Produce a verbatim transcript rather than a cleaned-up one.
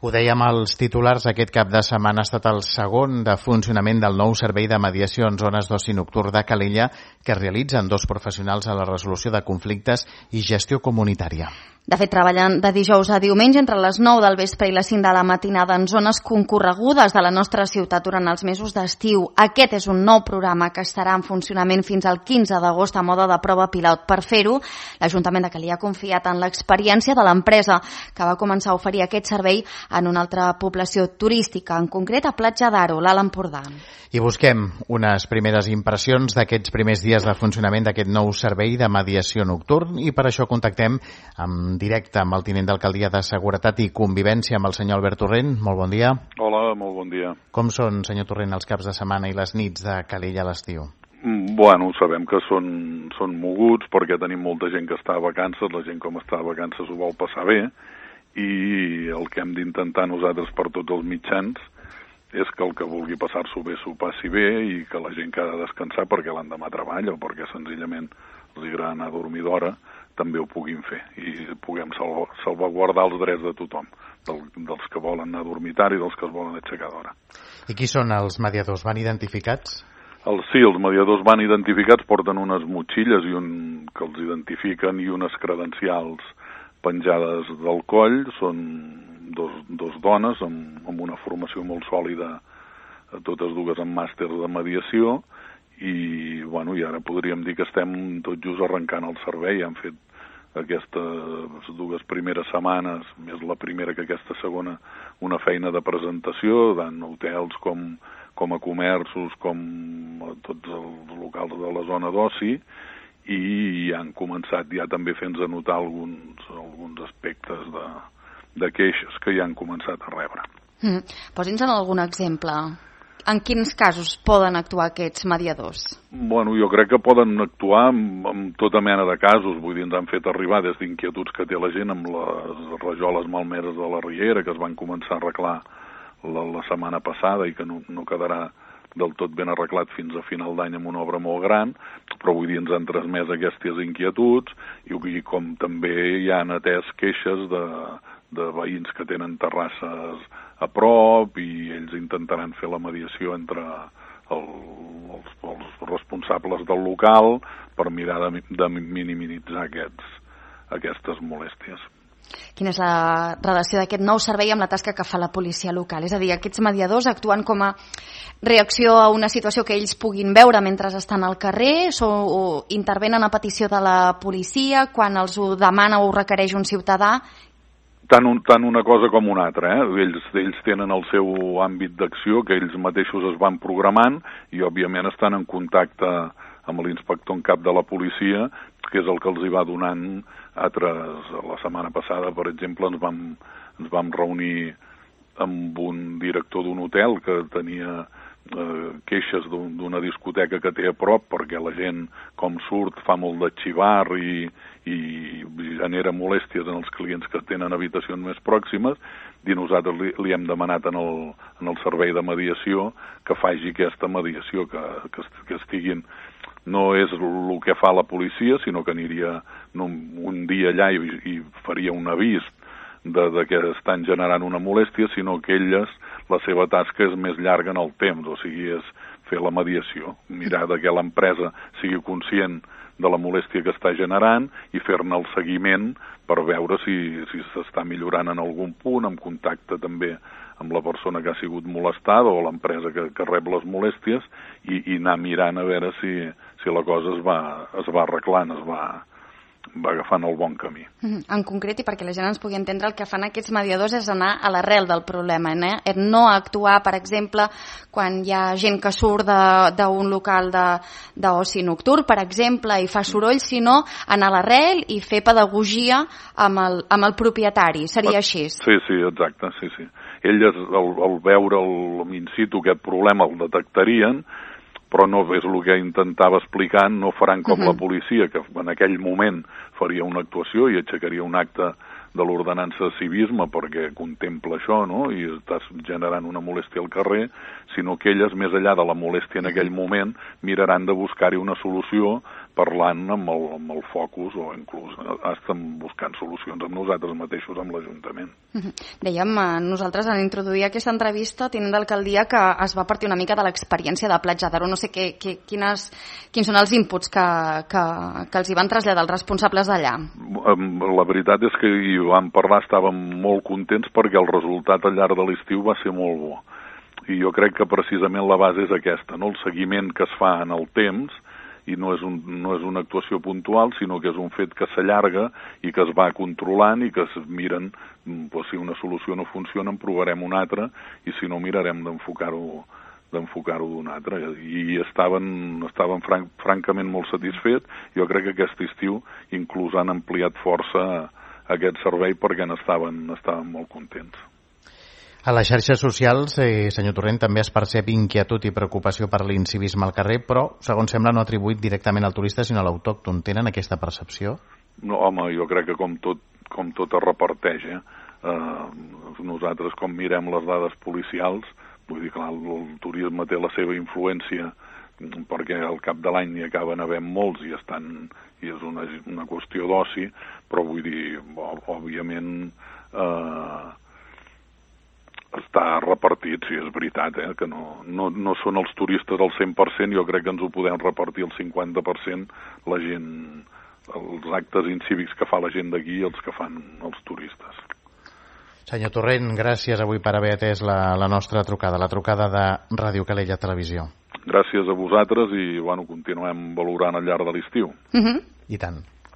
Ho dèiem als titulars, aquest cap de setmana ha estat el segon de funcionament del nou servei de mediació en zones d'oci nocturn de Calella que realitzen dos professionals a la resolució de conflictes i gestió comunitària. De fet, treballen de dijous a diumenge entre les nou del vespre i les cinc de la matinada en zones concorregudes de la nostra ciutat durant els mesos d'estiu. Aquest és un nou programa que estarà en funcionament fins al quinze d'agost a mode de prova pilot. Per fer-ho, l'Ajuntament de Calella ha confiat en l'experiència de l'empresa que va començar a oferir aquest servei en una altra població turística, en concret a Platja d'Aro, l'Alt Empordà. I busquem unes primeres impressions d'aquests primers dies de funcionament d'aquest nou servei de mediació nocturn i per això contactem en directe amb el tinent d'alcaldia de Seguretat i Convivència, amb el senyor Albert Torrent. Molt bon dia. Hola, molt bon dia. Com són, senyor Torrent, els caps de setmana i les nits de Calella a l'estiu? Bueno, sabem que són, són moguts perquè tenim molta gent que està a vacances, la gent com està a vacances ho vol passar bé i el que hem d'intentar nosaltres per tots els mitjans és que el que vulgui passar-s'ho bé s'ho passi bé i que la gent que ha de descansar perquè l'endemà treballa o perquè senzillament els agrada anar a dormir d'hora també ho puguin fer i puguem salv salvaguardar els drets de tothom, del, dels que volen anar a dormitar i dels que es volen aixecar d'hora. I qui són els mediadors? Van identificats? El, sí, els mediadors van identificats, porten unes motxilles i un, que els identifiquen i unes credencials penjades del coll. Són dos, dos dones amb, amb una formació molt sòlida, totes dues amb màsters de mediació i, bueno, i ara podríem dir que estem tot just arrencant el servei. Han fet aquestes dues primeres setmanes, més la primera que aquesta segona, una feina de presentació, tant hotels com, com a comerços, com a tots els locals de la zona d'oci, i han començat ja també fent-nos notar alguns, alguns aspectes de, de queixes que ja han començat a rebre. Mm. Posi'ns en algun exemple. En quins casos poden actuar aquests mediadors? Bueno, jo crec que poden actuar en, en tota mena de casos. Vull dir, ens han fet arribar des d'inquietuds que té la gent amb les rajoles malmeses de la Riera, que es van començar a arreglar la, la setmana passada i que no, no quedarà del tot ben arreglat fins a final d'any amb una obra molt gran, però vull dir, ens han transmès aquestes inquietuds i, i com també hi han atès queixes de, de veïns que tenen terrasses a prop i ells intentaran fer la mediació entre el, els, els responsables del local per mirar de, de minimitzar aquests, aquestes molèsties. Quina és la relació d'aquest nou servei amb la tasca que fa la policia local? És a dir, aquests mediadors actuen com a reacció a una situació que ells puguin veure mentre estan al carrer o, o intervenen a petició de la policia quan els ho demana o ho requereix un ciutadà? Tant, un, tant una cosa com una altra, eh? Ells, ells tenen el seu àmbit d'acció que ells mateixos es van programant i òbviament estan en contacte amb l'inspector en cap de la policia, que és el que els hi va donant altres. La setmana passada, per exemple, ens vam, ens vam reunir amb un director d'un hotel que tenia eh, queixes d'una discoteca que té a prop perquè la gent, com surt, fa molt de xivar i, i genera molèsties en els clients que tenen habitacions més pròximes i nosaltres li, li hem demanat en el, en el servei de mediació que faci aquesta mediació, que, que, que estiguin. No és el que fa la policia, sinó que aniria un, un dia allà i, i faria un avís de, de que estan generant una molèstia, sinó que elles, la seva tasca és més llarga en el temps, o sigui, és fer la mediació, mirar de que l'empresa sigui conscient de la molèstia que està generant i fer-ne el seguiment per veure si si s'està millorant en algun punt, en contacte també amb la persona que ha sigut molestada o l'empresa que, que rep les molèsties i, i anar mirant a veure si, si la cosa es va, es va arreglant, es va, va agafant el bon camí. En concret, i perquè la gent ens pugui entendre, el que fan aquests mediadors és anar a l'arrel del problema, eh? No actuar, per exemple, quan hi ha gent que surt d'un local d'oci nocturn, per exemple, i fa soroll, sinó anar a l'arrel i fer pedagogia amb el, amb el propietari. Seria així? Sí, sí, exacte, sí, sí. Elles, al, al veure el, in situ aquest problema, el detectarien, però no és el que intentava explicar, no faran com uh-huh. la policia, que en aquell moment faria una actuació i aixecaria un acte de l'ordenança de civisme perquè contempla això, no?, i estàs generant una molèstia al carrer, sinó que elles, més enllà de la molèstia en aquell moment, miraran de buscar-hi una solució parlant amb el, amb el focus o inclús estem buscant solucions amb nosaltres mateixos, amb l'Ajuntament. Dèiem, nosaltres en introduir aquesta entrevista tinent d'alcaldia que es va partir una mica de l'experiència de Platja d'Aro. No sé què, què, quines, quins són els inputs que, que, que els hi van traslladar els responsables d'allà. La veritat és que hi vam parlar, estàvem molt contents perquè el resultat al llarg de l'estiu va ser molt bo. I jo crec que precisament la base és aquesta, no? El seguiment que es fa en el temps, i no és, un, no és una actuació puntual, sinó que és un fet que s'allarga i que es va controlant i que es miren, doncs, si una solució no funciona en provarem una altra i si no mirarem d'enfocar-ho d'enfocar-ho d'una altra. I estaven, estaven franc, francament molt satisfets. Jo crec que aquest estiu inclús han ampliat força aquest servei perquè n'estaven estaven molt contents. A les xarxes socials, eh, senyor Torrent, també es percep inquietud i preocupació per l'incivisme al carrer, però, segons sembla, no atribuït directament al turista, sinó a l'autòcton. Tenen aquesta percepció? No, home, jo crec que com tot, com tot es reparteix, eh? Eh, nosaltres, com mirem les dades policials, vull dir, clar, el, el turisme té la seva influència, perquè al cap de l'any n'hi acaben havent molts i estan i és una, una qüestió d'oci, però vull dir, òbviament, eh, està repartit, sí, és veritat, eh, que no, no, no són els turistes al cent per cent, jo crec que ens ho podem repartir el cinquanta per cent la gent, els actes incívics que fa la gent d'aquí i els que fan els turistes. Senyor Torrent, gràcies avui per haver atès la, la nostra trucada, la trucada de Ràdio Calella Televisió. Gràcies a vosaltres i, bueno, continuem valorant al llarg de l'estiu. Mm-hmm. I tant.